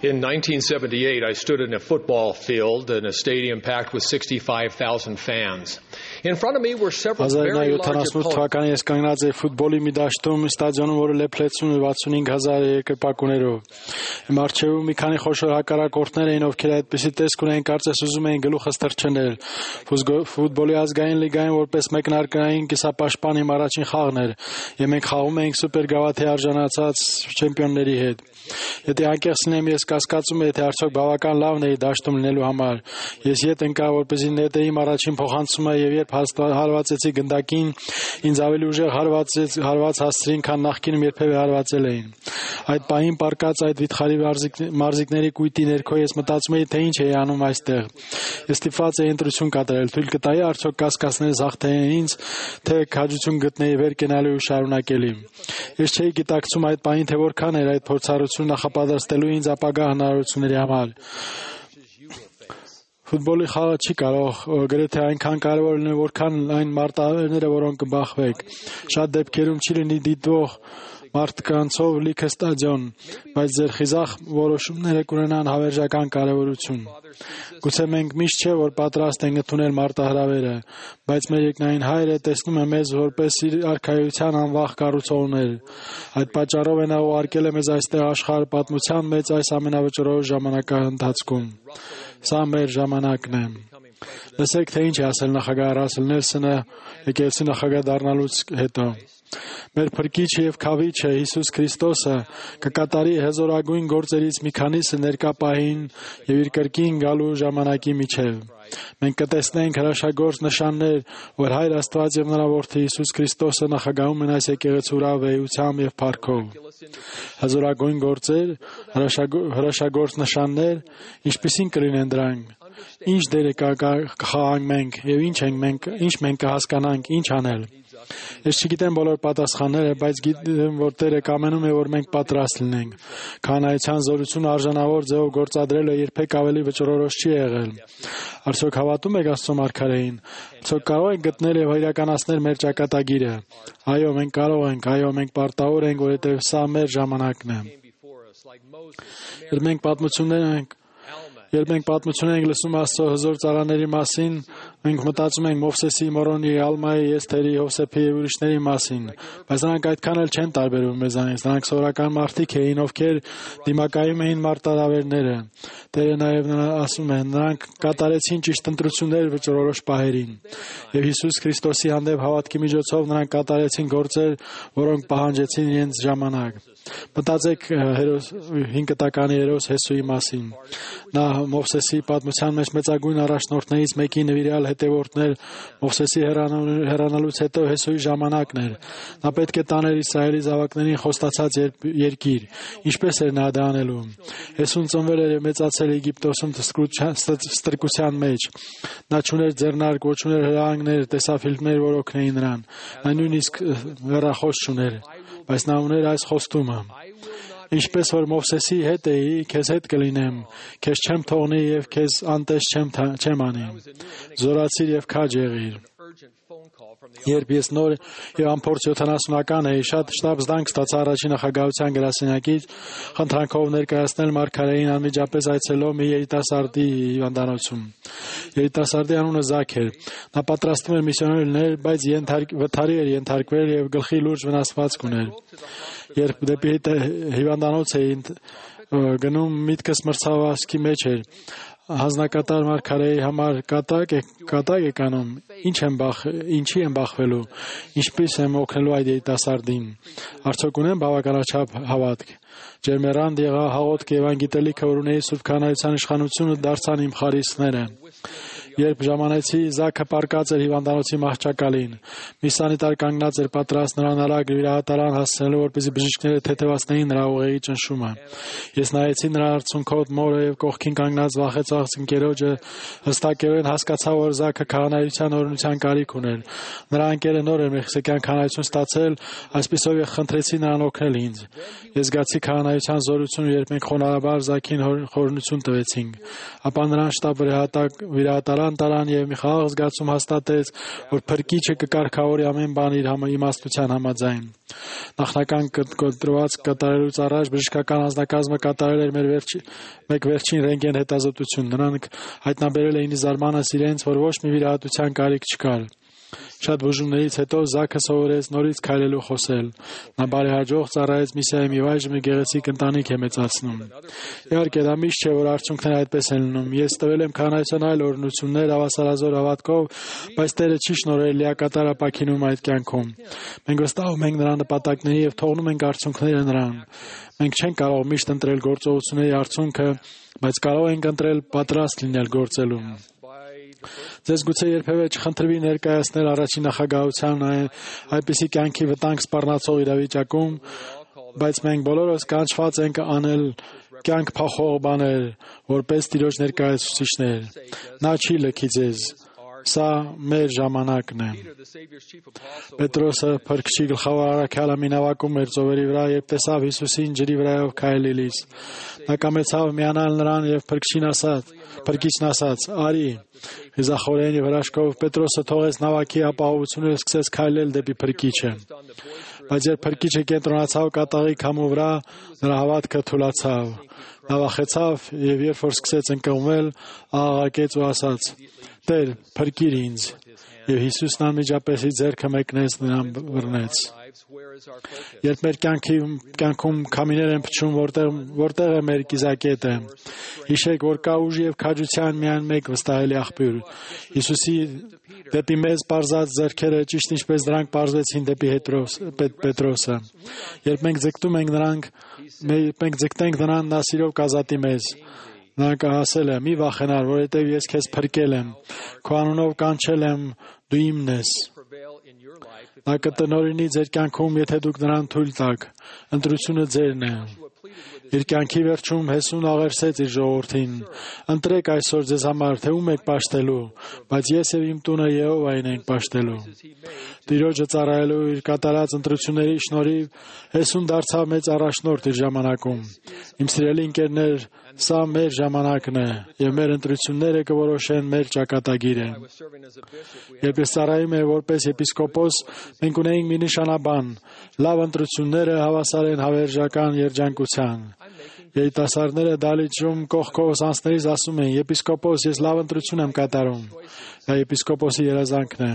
In 1978, I stood in a football field in a stadium packed with 65,000 fans. In front of me were several very large opponents. թվականի ես կանգնած էի ֆուտբոլի մի դաշտում ստադիոնում, որը լեփլեցնում էր 65,000 երկրպագուներով։ Իմ առջևում մի քանի խոշոր հակառակորդներ էին, ովքեր այդպիսի տեսք ունեին, կարծես ուզում էին գլուխս թռչնել։ Ֆուտբոլի ազգային լիգային որպես մեկնարկային կիսապաշտպան իմ առաջին խաղն էր, եւ մենք խաղում էինք սուպեր գավաթի արժանացած չեմպիոնների հետ։ Եթե անկեղծ լինեմ, ես կասկածում եմ, թե արդյոք բավական լավն էի դաշտում լինելու համար։ Ես ետ ընկա, որպեսզի նետեիմ առաջին փոխանցումը, եւ երբ հարվածեցի գնդակին, ինձ ավելի ուժեղ հարված հասցրին, քան նախկինում երբևէ հարվածել էին։ Այդ պահին պառկած այդ վիթխարի մարզիկների կույտի ներքո ես մտածում էի, թե ինչ էի անում այստեղ։ Ես ստիպված էի ընտրություն կատարել, թույլ կտայի արդյոք կասկածներս հաղթեին ինձ, թե քաջություն գտնեի վեր կենալու ու շարունակելի։ Ես չէի գիտակցում այդ պահին, թե որքան էր այդ փորձառությունը նախապատրաստելու ինձ ապագա հնարավորությունների համար։ Ֆուտբոլի խաղը չի կարող գրեթե այնքան կարևոր լինել, որքան այն մարտահրավերները, որոնք կբախվեք։ Շատ դեպքերում չի լինի դիտվող մարդկանցով լիքը ստադիոն, բայց ձեր խիզախ որոշումները կունենան հավերժական կարևորություն։ Գուցե մենք միշտ չէ, որ պատրաստ ենք ընդունել մարտահրավերը, բայց մեր երկնային Հայրը տեսնում է մեզ որպես իր արքայության անվախ կառուցողներ։ Այդ պատճառով նա ուղարկել է մեզ այստեղ աշխարհ պատմության մեջ այս ամենավճռորոշ ժամանակահատվածում։ Սա մեր ժամանակն է։ Լսեք, թե ինչ է ասել նախագահ Ռասել Նելսոնը եկեղեցի նախագահ դառնալուց հետո։ Մեր փրկիչը եւ քավիչը Հիսուս Քրիստոսը կկատարի հզորագույն գործերից մի քանիսը ներկա պահին եւ իր կրկին գալու ժամանակի միջեւ։ Մենք կտեսնենք հրաշագործ նշաններ, որ Հայր Աստված եւ նրա որդի Հիսուս Քրիստոսը նախագահում են այս եկեղեցու վեհությամբ եւ փառքով։ Հզորագույն գործեր, հրաշագործ նշաններ, ինչպիսին կլինեն դրանք։ Ինչ դեր կխաղանք մենք եւ ինչ մենք կհասկանանք, ինչ անել։ Ես չգիտեմ բոլոր պատասխանները, բայց գիտեմ, որ Տերը կամենում է, որ մենք պատրաստ լինենք։ Քահանայության զորությունը արժանավոր ձևով գործադրելը երբեք ավելի վճռորոշ չի եղել։ Արդյոք հավատում եք Աստծո մարգարեին։ Արդյոք կարող ենք գտնել եւ իրականացնել մեր ճակատագիրը։ Այո, մենք կարող ենք, այո, մենք պարտավոր ենք, որովհետեւ սա մեր ժամանակն է։ Երբ մենք պատմություններ ենք լսում Աստծո հզոր ծառաների մասին, մենք մտածում ենք Մովսեսի, Մորոնի, Ալմայի, Էսթերի, Հովսեփի եւ ուրիշների մասին, բայց նրանք այդքան էլ չեն տարբերվում մեզանից։ Նրանք սովորական մարդիկ էին, ովքեր դիմակայում էին մարտահրավերները։ Տերը նաեւ ասում է, նրանք կատարեցին ճիշտ ընտրություններ վճռորոշ պահերին։ Եվ Հիսուս Քրիստոսի հանդեպ հավատքի միջոցով նրանք կատարեցին գործեր, որոնք պահանջեցին իրենց ժամանակ։ Մտածեք 5 տականի հերոս Հեսուի մասին։ Նա Մովսեսի պատմության մեջ մեծագույն առաջնորդներից մեկի նվիրյալ հետևորդներ Մովսեսի հեռանալուց հետո Հեսուի ժամանակն էր։ Նա պետք է տաներ Իսրայելի զավակներին խոստացած երկիր։ Ինչպես էր նա դա անելու։ Հեսուն ծնվել էր եւ մեծացել Եգիպտոսում ստրկության մեջ։ Նա չուներ ձեռնարկ, ոչ ուներ հրահանգներ, տեսաֆիլմներ, որ օգնեին նրան։ Նա նույնիսկ հեռախոս չուներ, բայց նա ուներ այս խոստումը. Ինչպես որ Մովսեսի հետ էի, քեզ հետ կլինեմ, քեզ չեմ թողնի եւ քեզ անտես չեմ անի։ Զորացիր եւ քաջ եղիր։ Երբ ես նոր եւ անփորձ 70-ական էի, շատ շտապ զդանք ստացա առաջին նախագահության գրասենյակից, խնդրանքով ներկայացնել մարգարեին անմիջապես այցելող մի երիտասարդի հիվանդանոցում։ Երիտասարդի անունը Զաք էր։ Նա պատրաստվում էր միսիոներ լինել, բայց վթարի էր ենթարկվել եւ գլխի լուրջ վնասվածք ուներ։ Երբ դեպի հիվանդանոց էի գնում, միտքս մրցավազքի մեջ էր։ Հանձնակատար մարգարեի համար կատակ եք անում, ինչի եմ բախվելու, ինչպես եմ օգնելու այդ երիտասարդին, արդյոք ունեմ բավականաչափ հավատք։ Ջերմեռանդ եղա հաղորդք եւ անգիտելիքը, որ ունեի Սուրբ Քահանայության իշխանությունը, դարձան իմ խարիսխները։ Երբ ժամանեցի, Զաքը պառկած էր հիվանդանոցի մահճակալին։ Մի սանիտար կանգնած էր պատրաստ նրան արագ վիրահատարան հասցնելու, որպեսզի բժիշկները թեթևացնեին նրա ուղեղի ճնշումը։ Ես նայեցի նրա արցունքոտ մորը եւ կողքին կանգնած վախեցած ընկերոջը, հստակորեն հասկացա, որ Զաքը քահանայության օրհնության կարիք ուներ։ Նրա ընկերը նոր էր մեխիսկյան քահանայություն ստացել, այսպիսով ես խնդրեցի նրան օգնել ինձ։ Ես զգացի քահանայության զորությունը, երբ մենք խոնարհաբար Զաքին խորհրդություն տվեցինք։ Ապա նրան շտապ վիրահատարան տարան եւ մի խաղաղ զգացում հաստատեց, որ փրկիչը կկարգավորի ամեն բան իր իմաստության համաձայն։ Նախնական կոտրված կատարելուց առաջ բժշկական անձնակազմը կատարել էր մեկ վերջին ռենտգեն հետազոտություն։ Նրանք հայտնաբերել էին զարմանս իրենց, որ ոչ մի վիրահատության կարիք չկար։ Շատ բուժումներից հետո Զաքը սովորեց նորից քայլելու խոսել։ Նա բարեհաջող ծառայեց միսիայի մի այժմ գեղեցիկ ընտանիք է մեծացնում։ Իհարկե, դա միշտ չէ, որ արդյունքները այդպես են լինում։ Ես տվել եմ քանայության այլ օրհնություններ հավասարազոր հավատքով, բայց Տերը չի շնորհել լիակատար ապաքինում այդ կյանքում։ Մենք վստահում ենք նրա նպատակների եւ թողնում ենք արդյունքները նրան։ Մենք չենք կարող միշտ ընտրել գործողությունների արդյունքը, բայց կարող ենք ընտրել պատրաստ լինել գործելու։ Ձեզ գուցե երբևէ չխնդրվի ներկայացնել առաջին նախագահության այնպիսի կյանքի վտանգ սպառնացող իրավիճակում, բայց մենք բոլորս կանչված ենք անել կյանք փոխող բաներ, որպես Տիրոջ ներկայացուցիչներ։ Նա չի լքի ձեզ։ Սա մեր ժամանակն է։ Պետրոսը փրկչի գլխավոր առաքյալը մի նավակում էր ծովերի վրա, երբ տեսավ Հիսուսին ջրի վրայով քայլելիս։ Նա կամեցավ միանալ նրան եւ փրկիչն ասաց. «Արի»։ Խիզախորեն եւ հրաշքով Պետրոսը թողեց նավակի ապահովությունը եւ սկսեց քայլել դեպի փրկիչը։ Բայց երբ փրկիչը կենտրոնացավ կատաղի քամու վրա, նրա հավատքը թուլացավ։ Նա վախեցավ եւ երբ որ սկսեց ընկղմվել, աղաղակեց ու ասաց. «Տեր, փրկիր ինձ»։ Եվ Հիսուսն անմիջապես իր ձեռքը մեկնեց նրան բռնեց։ Երբ մեր կյանքում քամիներ են փչում, որտեղ է մեր կիզակետը։ Հիշեք, որ կա ուժ եւ քաջության միայն մեկ վստահելի աղբյուր։ Հիսուսի դեպի մեզ պարզած ձեռքերը ճիշտ ինչպես դրանք պարզվեցին դեպի Պետրոսը։ Երբ մենք ձգտենք նրան, նա սիրով կազատի մեզ։ Նա ասել է. «Մի վախենար, որովհետև ես քեզ փրկել եմ, քո անունով կանչել եմ, դու իմն ես»։ Նա կտնօրինի ձեր կյանքում, եթե դուք նրան թույլ տաք։ Ընտրությունը ձերն է։ Իր կյանքի վերջում Հեսուն աղերսեց իր ժողովրդին. «Ընտրեք այսօր ձեզ համար, թե ում եք պաշտելու, բայց ես եւ իմ տունը Եհովային ենք պաշտելու»։ Տիրոջը ծառայելու իր կատարած ընտրությունների շնորհիվ Հեսուն դարձավ մեծ առաջնորդ իր ժամանակում։ Իմ սիրելի ընկերներ, սա մեր ժամանակն է, եւ մեր ընտրությունները կորոշեն մեր ճակատագիրը։ Երբ ես ծառայում եմ որպես եպիսկոպոս, մենք ունեինք մի նշանաբան. լավ ընտրությունները հավասար են հավերժական երջանկության։ Երիտասարդները դալիճում կողքով անցնելիս ասում են. «Եպիսկոպոս, ես լավ ընտրություն եմ կատարում»։ Դա եպիսկոպոսի երազանքն է։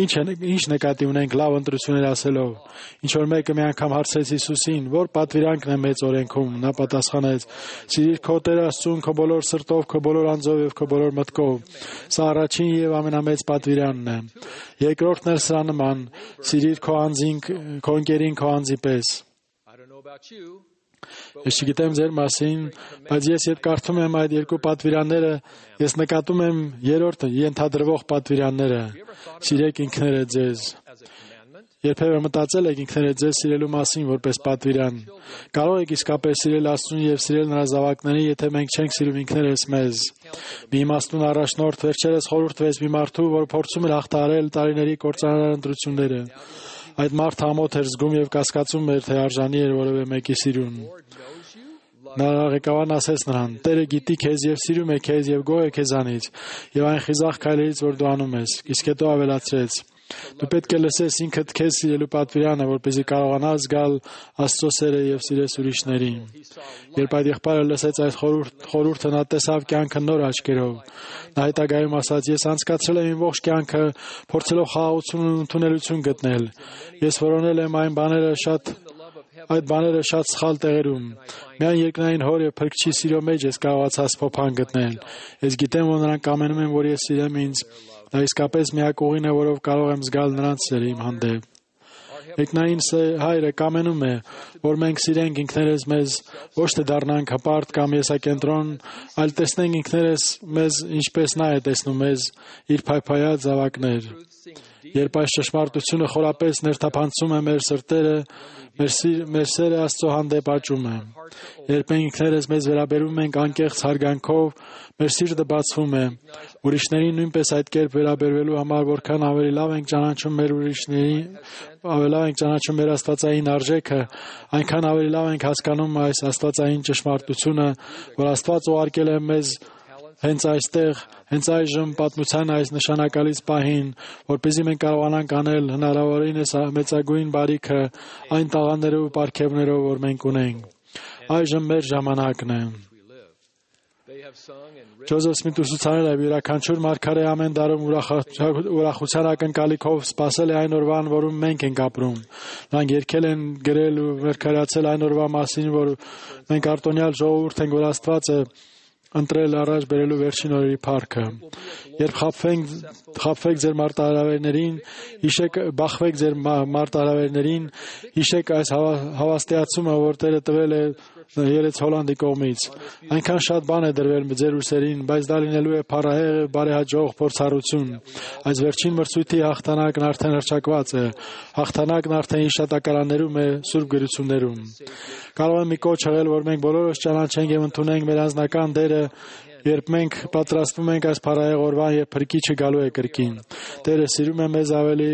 Ինչ նկատի ունենք լավ ընտրություններ ասելով։ Ինչ որ մեկը մի անգամ հարցրեց Հիսուսին, որ պատվիրանքն է մեծ օրենքում։ Նա պատասխանեց. «Սիրիր քո Տեր Աստծուն քո բոլոր սրտով, քո բոլոր անձով եւ քո բոլոր մտքով»։ Սա առաջին եւ ամենամեծ պատվիրանն է։ Երկրորդն էլ սրա նման. «Սիրիր քո անձին, քո ընկերին քո անձի պես»։ Ես չգիտեմ ձեր մասին, բայց ես երբ կարդում եմ այդ երկու պատվիրանները, ես նկատում եմ երրորդը ենթադրվող պատվիրանները. սիրեք ինքներդ ձեզ։ Երբևէ մտածել եք ինքներդ ձեզ սիրելու մասին որպես պատվիրան։ Կարող եք իսկապես սիրել Աստծուն եւ սիրել նրա զավակներին, եթե մենք չենք սիրում ինքներս մեզ։ Մի իմաստուն առաջնորդ վերջերս խորհուրդ տվեց մի մարդու, որ փորձում էր հաղթահարել տարիների կործանարար ընտրությունները։ Այդ մարդը ամոթ էր զգում եւ կասկածում էր, թե արժանի էր որևէ մեկի սիրուն։ Նա ղեկավարն ասեց նրան. «Տերը գիտի քեզ եւ սիրում է քեզ եւ գոհ է քեզանից եւ այն խիզախ քայլերից, որ դու անում ես»։ Իսկ հետո ավելացրեց. «Դու պետք է լսես ինքդ քեզ սիրելու պատվիրանը, որպեսզի կարողանաս զգալ Աստծո սերը եւ սիրես ուրիշներին»։ Երբ այդ եղբայրը լսեց այդ խորհուրդը, նա տեսավ կյանքը նոր աչքերով։ Նա հետագայում ասաց. «Ես անցկացրել եմ իմ ողջ կյանքը փորձելով խաղաղություն ու ընդունելություն գտնել։ Ես որոնել եմ այդ բաները շատ սխալ տեղերում։ Միայն երկնային Հոր եւ Փրկչի սիրո մեջ ես կարողացա սփոփան գտնել։ Ես գիտեմ, որ նրանք կամենում են, որ ես սիրեմ ինձ։ Դա իսկապես միակ ուղին է, որով կարող եմ զգալ նրանց սերը իմ հանդեպ։ Երկնային Հայրը կամենում է, որ մենք սիրենք ինքներս մեզ, ոչ թե դառնանք հպարտ կամ եսակենտրոն, այլ տեսնենք ինքներս մեզ, ինչպես նա է տեսնում մեզ, իր փայփայած զավակներ։ Երբ այս ճշմարտությունը խորապես ներթափանցում է մեր սրտերը, մեր սերը Աստծո հանդեպ աճում է։ Երբ մենք ինքներս մեզ վերաբերում ենք անկեղծ հարգանքով, մեր սիրտը բացվում է։ Ուրիշներին նույնպես այդ կերպ վերաբերվելու համար, որքան ավելի լավ ենք ճանաչում մեր աստվածային արժեքը, այնքան ավելի լավ ենք հասկանում այս աստվածային ճշմարտությունը, որ Աստված ուղարկել է մեզ հենց այստեղ, հենց այժմ պատմության այս նշանակալից պահին, որպեսզի մենք կարողանանք անել հնարավորինս մեծագույն բարիքը այն տաղանդներով ու պարգևներով, որ մենք ունենք։ Այժմ մեր ժամանակն է։ Ջոզեֆ Սմիթը ուսուցանել է, յուրաքանչյուր մարգարե ամեն դարում ուրախության ակնկալիքով սպասել է այն օրվան, որում մենք ենք ապրում։ Նրանք երգել են, գրել ու մարգարացել այն օրվա մասին, որ մենք արտոնյալ ժողովուրդ ենք, որ Աստված է ընտրել առաջ բերելու վերջին օրերի փառքը։ Երբ խաբվեք ձեր մարտահրավերներին, բախվեք ձեր մարտահրավերներին, հիշեք այս հավաստիացումը, որ Տերը տվել է Երեց Հոլանդի կողմից։ Այնքան շատ բան է դրվել ձեր ուսերին, բայց դա լինելու է փառահեղ, բարեհաջող փորձառություն։ Այս վերջին մրցույթի հաղթանակն արդեն հռչակված է։ Հաղթանակն արդեն հիշատակարաններում է, սուրբ գրություններում։ Կարող է մի կոչ եղել, որ մենք բոլորս ճանաչենք եւ ընդունենք մեր անձնական դերը, երբ մենք պատրաստվում ենք այս փառահեղ օրվան, երբ Փրկիչը գալու է կրկին։ Տերը սիրում է մեզ ավելի,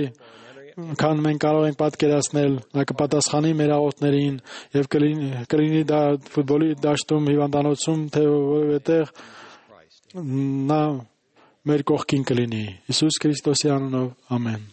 քան մենք կարող ենք պատկերացնել, նա կպատասխանի մեր աղոթներին եւ կլինի դա ֆուտբոլի դաշտում, հիվանդանոցում, թե որևէ տեղ, նա մեր կողքին կլինի։ Հիսուս Քրիստոսի անունով, ամեն։